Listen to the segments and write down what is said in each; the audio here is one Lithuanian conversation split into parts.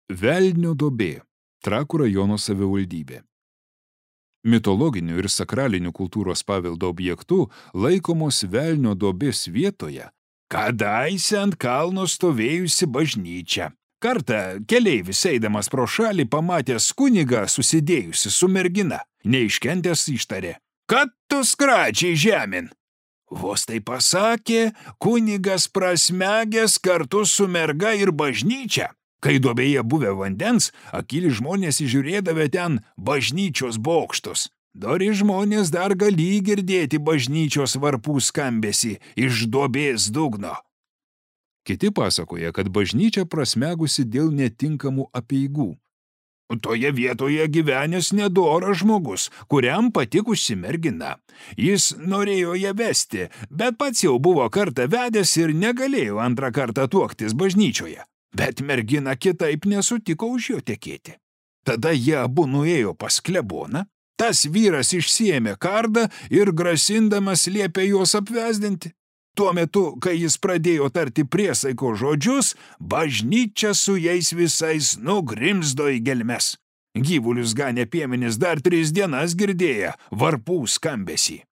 Velnio duobė, Trakų rajono savivaldybė. Mitologinių ir sakralinių kultūros paveldo objektų laikomos Velnio duobės vietoje kadaise ant kalno stovėjusi bažnyčia. Kartą keleivis eidamas pro šalį pamatęs kunigą susidėjusi su mergina, neiškentęs ištarė: "Kad tu skračiai žemin?" Vos tai pasakė, kunigas prasmegęs kartu su merga ir bažnyčia. Kai duobėje buvę vandens, akyli žmonės įžiūrėdavę ten bažnyčios bokštus. Dori žmonės dar gali girdėti bažnyčios varpų skambesį iš duobės dugno. Kiti pasakoja, kad bažnyčia prasmegusi dėl netinkamų apeigų. Toje vietoje gyvenęs nedoras žmogus, kuriam patikusi mergina. Jis norėjo ją vesti, bet pats jau buvo kartą vedęs ir negalėjo antrą kartą tuoktis bažnyčioje. Bet mergina kitaip nesutiko už jo tekėti. Tada jie abu nuėjo pas kleboną, tas vyras išsiėmė kardą ir grasindamas liepė juos apvesdinti. Tuo metu, kai jis pradėjo tarti priesaiko žodžius, bažnyčia su jais visais nugrimzdo į gelmes. Gyvulius ganė piemenys dar 3 dienas girdėję varpų skambesį.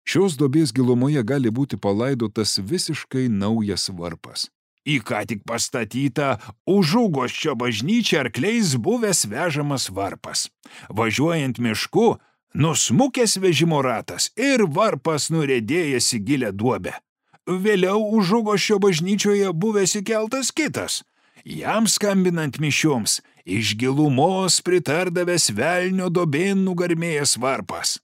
Šios duobės gilumoje gali būti palaidotas visiškai naujas varpas. Į ką tik pastatytą Užuguosčio bažnyčią arkliais buvęs vežamas varpas. Važiuojant mišku, nusmukęs vežimo ratas ir varpas nuriedėjęs į gilę duobę. Vėliau Užuguosčio bažnyčioje buvęs įkeltas kitas. Jam skambinant mišioms, iš gilumos pritardavęs Velnio duobėn nugarmėjęs varpas.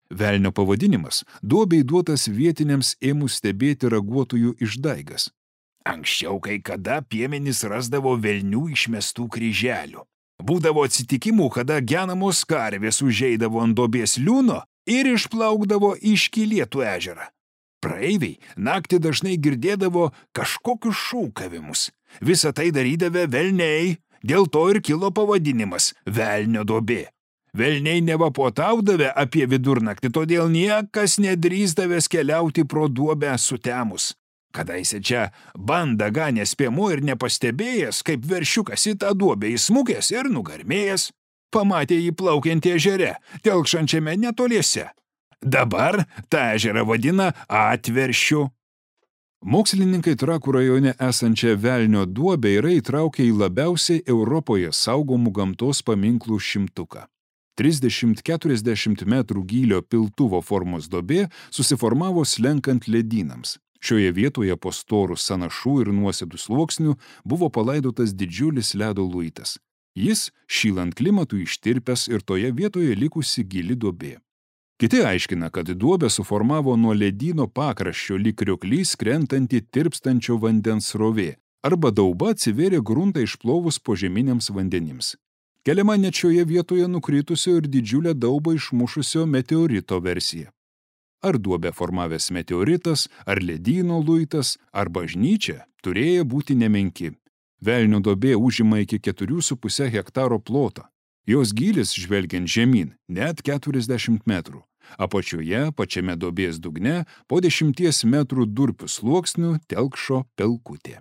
Velnio pavadinimas duobei duotas vietiniams ėmus stebėti raguotojų išdaigas. Anksčiau kai kada piemenys rasdavo velnių išmestų kryželių. Būdavo atsitikimų, kada genamos karvės užeidavo ant duobės liūno ir išplaukdavo į Škylėtų ežerą. Praeiviai naktį dažnai girdėdavo kažkokius šūkavimus. Visą tai darydavę velniai, dėl to ir kilo pavadinimas Velnio duobė. Velniai nevapuotaudavę apie vidurnaktį, todėl niekas nedrįsdavęs keliauti pro duobę sutemus. Kadaise čia bandą ganęs piemuo ir nepastebėjęs, kaip veršiukas į tą duobę įsmukęs ir nugarmėjęs, pamatė jį plaukiantį ežere, telkšančiame netoliese. Dabar tą ežerą vadina Atveršiu. Mokslininkai Trakų rajone esančią Velnio duobę yra įtraukę į labiausiai Europoje saugomų gamtos paminklų 100. 30-40 metrų gylio piltuvo formos duobė susiformavo slenkant ledynams. Šioje vietoje po storų sąnašų ir nuosėdų sluoksnių buvo palaidotas didžiulis ledo luitas. Jis, šylant klimatui, ištirpęs ir toje vietoje likusi gili duobė. Kiti aiškina, kad duobę suformavo nuo ledyno pakraščio lyg krioklys krentanti tirpstančio vandens srovė, arba dauba atsivėrė gruntą išplovus požeminiams vandenims. Keliama net šioje vietoje nukritusio ir didžiulę daubą išmušusio meteorito versija. Ar duobę formavęs meteoritas, ar ledyno luitas, ar bažnyčia turėjo būti nemenki. Velnio duobė užima iki 4,5 hektaro plotą. Jos gylis, žvelgiant žemyn, net 40 metrų. Apačioje, pačiame duobės dugne, po 10 metrų durpių sluoksnių telkšo pelkutė.